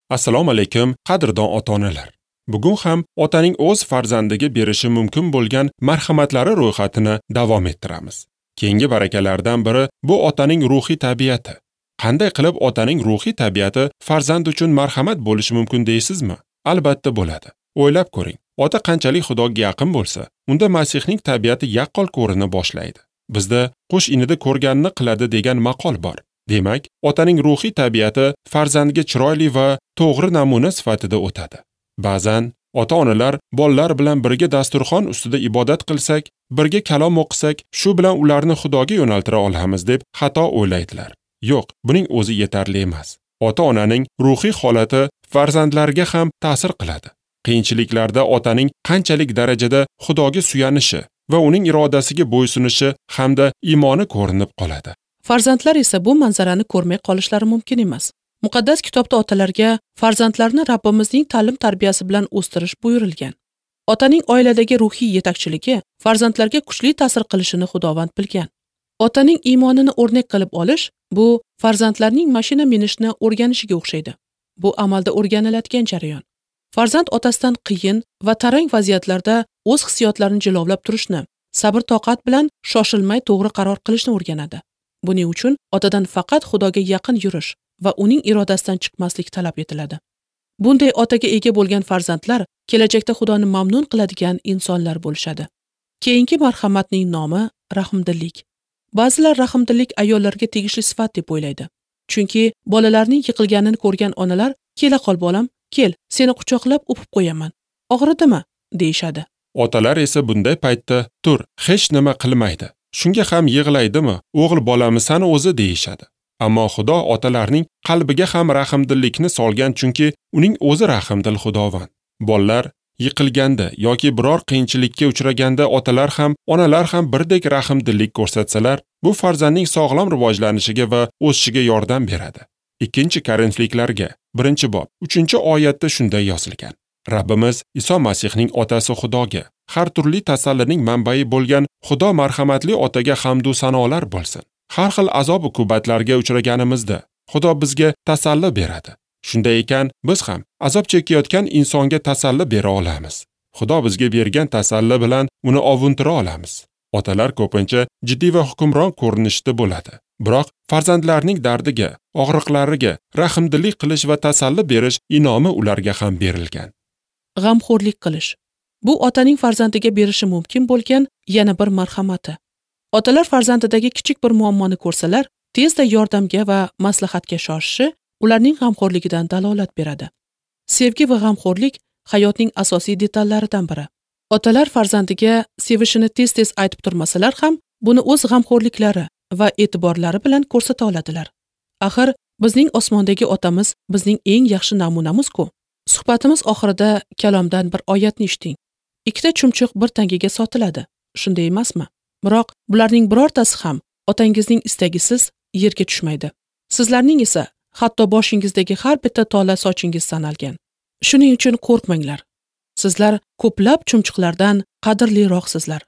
Assalomu alaykum, qadrdon ota-onalar. Bugun ham otaning o'z farzandiga berishi mumkin bo'lgan marhamatlari ro'yxatini davom ettiramiz. Keyingi barakalardan biri bu otaning ruhiy tabiati. Qanday qilib otaning ruhiy tabiati farzand uchun marhamat bo'lishi mumkin deysizmi? Albatta bo'ladi. O'ylab ko'ring. Ota qanchalik Xudoga yaqin bo'lsa, unda Masihning tabiati yaqqol ko'rina boshlaydi. Bizda qush inida ko'rganini qiladi degan maqol bor. Demak, otaning ruhiy tabiati farzandga chiroyli va to'g'ri namuna sifatida o'tadi. Ba'zan ota-onalar bolalar bilan birga dasturxon ustida ibodat qilsak, birga kalom o'qisak, shu bilan ularni Xudoga yo'naltira olamiz deb xato o'ylaydilar. Yo'q, buning o'zi yetarli emas. Ota-onaning ruhiy holati farzandlarga ham ta'sir qiladi. Qiyinchiliklarda otaning qanchalik darajada Xudoga suyanishi va uning irodasiga bo'ysunishi hamda iymoni ko'rinib qoladi. Farzandlar esa bu manzarani ko'rmay qolishlari mumkin emas. Muqaddas kitobda otalarga farzandlarni Rabbimizning ta'lim-tarbiyasi bilan o'stirish buyurilgan. Otaning oiladagi ruhiy yetakchiligi farzandlarga kuchli ta'sir qilishini Xudovand bilgan. Otaning iymonini o'rnak qilib olish bu farzandlarning mashina minishni o'rganishiga o'xshaydi. Bu amalda o'rganiladigan jarayon. Farzand otasidan qiyin va tarang vaziyatlarda o'z hissiyotlarini jilovlab turishni, sabr-toqat bilan shoshilmay to'g'ri qaror qilishni o'rganadi. Buning uchun otadan faqat Xudoga yaqin yurish va uning irodasidan chiqmaslik talab etiladi. Bunday otaga ega bo'lgan farzandlar kelajakda Xudoni mamnun qiladigan insonlar bo'lishadi. Keyingi marhamatning nomi rahmdillik. Ba'zilar rahmdillik ayollarga tegishli sifat deb o'ylaydi. Chunki bolalarning yiqilganini ko'rgan onalar, "Kela qol bolam, kel, seni quchoqlab o'pib qo'yaman. Og'ridimi?" deyishadi. Otalar esa bunday paytda, "Tur, hech nima qilmaydi. Shunga ham yig'laydimi? O'g'il bolamisan o'zi" deyishadi. Ammo Xudo otalarning qalbiga ham rahmdillikni solgan, chunki uning o'zi rahmdil Xudovand. Bolalar yiqilganda yoki biror qiyinchilikka uchraganda otalar ham, onalar ham birdek rahmdillik ko'rsatsalar, bu farzandning sog'lom rivojlanishiga va o'sishiga yordam beradi. 2 Korinfliklarga 1-bob 3-oyatda shunday yozilgan: Rabbimiz Iso Masihning otasi Xudoga, har turli tasallining manbai bo'lgan Xudo marhamatli otaga hamd va sanolar bo'lsin. Har xil azob-uqubatlarga uchraganimizda Xudo bizga tasalli beradi. Shunday ekan, biz ham azob chekayotgan insonga tasalli bera olamiz. Xudo bizga bergan tasalli bilan uni ovuntira olamiz. Otalar ko'pincha jiddiy va hukmron ko'rinishda bo'ladi. Biroq farzandlarning dardiga, og'riqlariga rahmdillik qilish va tasalli berish inomi ularga ham berilgan. G'amxo'rlik qilish. Bu otaning farzandiga berishi mumkin bo'lgan yana bir marhamati. Otalar farzandidagi kichik bir muammoni ko'rsalar, tezda yordamga va maslahatga shoshishi ularning g'amxo'rligidan dalolat beradi. Sevgi va g'amxo'rlik hayotning asosiy detallaridan biri. Otalar farzandiga sevishini tez-tez aytib turmasalar ham, buni o'z g'amxo'rliklari va e'tiborlari bilan ko'rsata oladilar. Axir bizning osmondagi otamiz bizning eng yaxshi namunamiz-ku. Suhbatimiz oxirida kalomdan bir oyatni eshiting. 2 chumchuq bir tangaga sotiladi, shunday emasmi? Biroq bularning birortasi ham otangizning istagisiz yerga tushmaydi. Sizlarning esa hatto boshingizdagi har bitta tola sochingiz sanalgan. Shuning uchun qo'rqmanglar. Sizlar ko'plab chumchuqlardan qadrliroqsizlar.